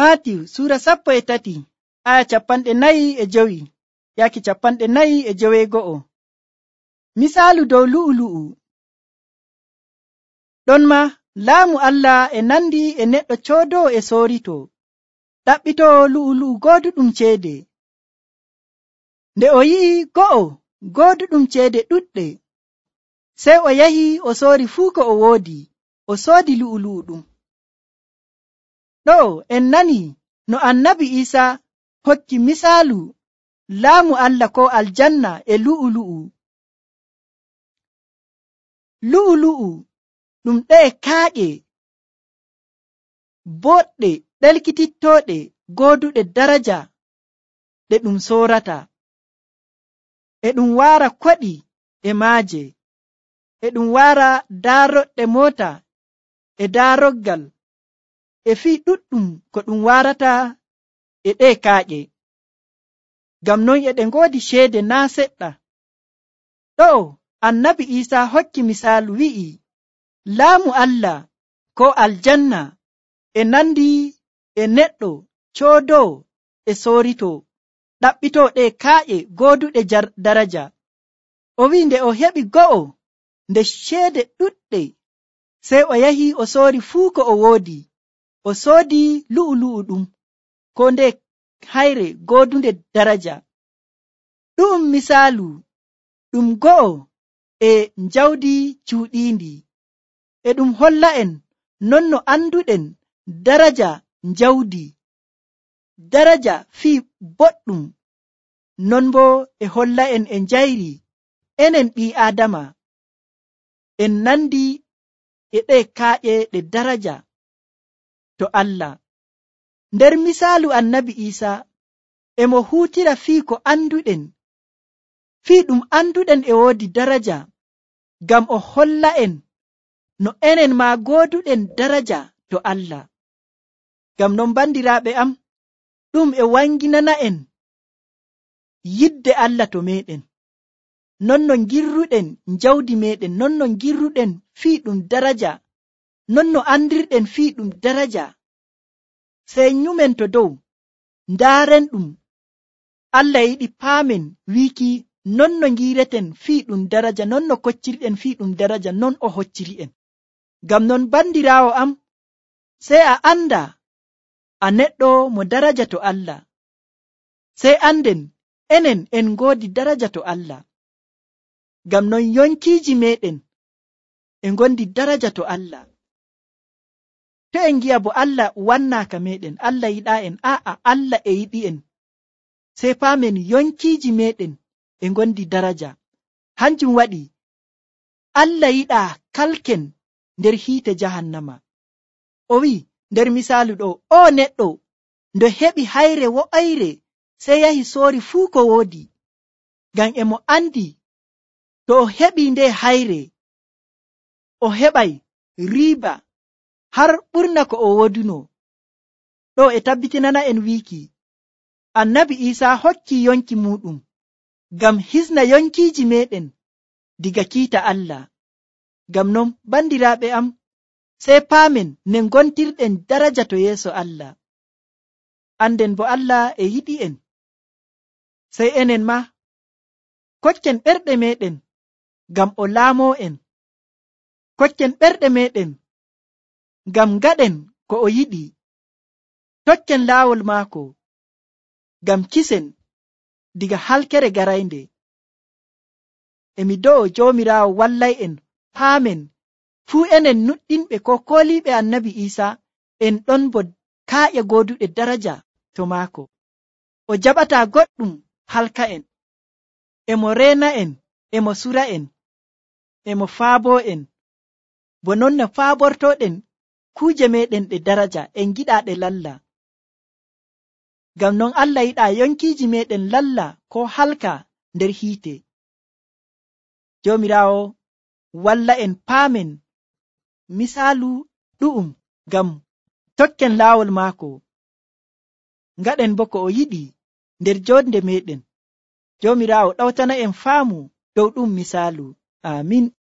Maatiyu sura 13 aya 45 yaaki 41. Misaalu dow lu'ulu'u. Ɗon ma laamu Allah e nandi e neɗɗo coodowo e soorito ɗaɓɓitoo lu'ulu'u gooduɗum ceede. Nde o yi'i go'o gooduɗum ceede ɗuɗɗe, sey o yahi o soori fuu ko o woodi, o soodi lu'ulu'u ɗum. Ɗo en nani no annabi Iisa hokki misaalu laamu Allah ko aljanna e lu'ulu'u. Lu'ulu'u ɗum ɗe'e kaaƴe boɗɗe ɗelkitittooɗe gooduɗe daraja ɗe ɗum soorata. E ɗum waara koɗi e maaje, e ɗum waara daaroɗɗe moota e daaroggal, e fii ɗuɗɗum ko ɗum waarata e ɗe kaaƴe. Ngam non e ɗe ngoodi ceede naa seɗɗa. Ɗo annabi Iisa hokki misaalu wi'i laamu Allah ko aljanna e nandi e neɗɗo coodowo e soorito ɗaɓɓitoo ɗe kaaƴe gooduɗe daraja. O wi'i nde o heɓi go'o nde ceede ɗuɗɗe, sey o yahi o soori fuu ko o woodi, o soodi lu'ulu'u ɗum ko nde hayre goodunde daraja. Ɗum misaalu ɗum go'o e njawdi cuuɗiindi, e ɗum holla en non no anduɗen daraja njawdi, daraja fii boɗɗum, non boo e holla en e njayri enen ɓii Aadama en nandi e ɗe kaaƴe ɗe daraja to Allah. Nder misaalu annabi Iisa e mo huutira fii ko anduɗen, fii ɗum anduɗen e woodi daraja, ngam o holla en no enen maa gooduɗen daraja to Allah. Ngam non bandiraaɓe am, ɗum e wanginana en yidde Allah to meɗen, non no ngirruɗen njawdi meɗen, non no ngirruɗen fii ɗum daraja, non no andirɗen fii ɗum daraja. Sey nyumen to dow ndaaren ɗum. Allah yiɗi paamen wiiki non no ngireten fii ɗum daraja, non no koccirɗen fii ɗum daraja, non o hocciri'en. Ngam non bandiraawo am, sey a anda a neɗɗo mo daraja to Allah, sey anden enen en ngoodi daraja to Allah. Ngam non yonkiiji meɗen e ngondi daraja to Allah. To en ngi'a bo Allah wannaaka meɗen, Allah yiɗaa en, Allah e yiɗi en, sey paamen yonkiiji meɗen e ngondi daraja. Hanjum waɗi Allah yiɗaa kalken nder hiite jahannama. O wi'i nder misaalu ɗo, o neɗɗo ndo heɓi hayre wo'ayre, sey yahi soori fuu ko woodi, ngam e mo andi to o heɓi nde hayre, o heɓay riiba har ɓurna ko o woduno. Ɗo e tabbitinana en wiiki annabi Iisa hokki yonki muɗum ngam hisna yonkiiji meɗen diga kiita Allah. Ngam non bandiraaɓe am, sey paamen ne ngontirɗen daraja to yeeso Allah. Anden bo Allah e yiɗi en, sey enen ma kokken ɓerɗe meɗen ngam o laamoo en, kokken ɓerɗe meɗen ngam ngaɗen ko o yiɗi, tokken laawol maako ngam kisen diga halkere garaynde. Emi do'o Joomiraawo wallay'en paamen fuu enen nuɗɗinɓe ko kooliiɓe annabi Iisa en ɗon bo kaaƴe gooduɗe daraja to maako. O jaɓataa goɗɗum halka en, emo reena en, emo sura en, emo faaboo en, bo non no faabortoɗen kuuje meɗen ɗe daraja en giɗaa ɗe lalla. Ngam non Allah yiɗaa yonkiiji meɗen lalla ko halka nder hiite. Joomiraawo walla en paamen misaalu ɗu'um ngam tokken laawol maako, ngaɗen bo ko o yiɗi nder jonde meɗen. Joomiraawo ɗawtana en faamu dow ɗum misaalu. Amin.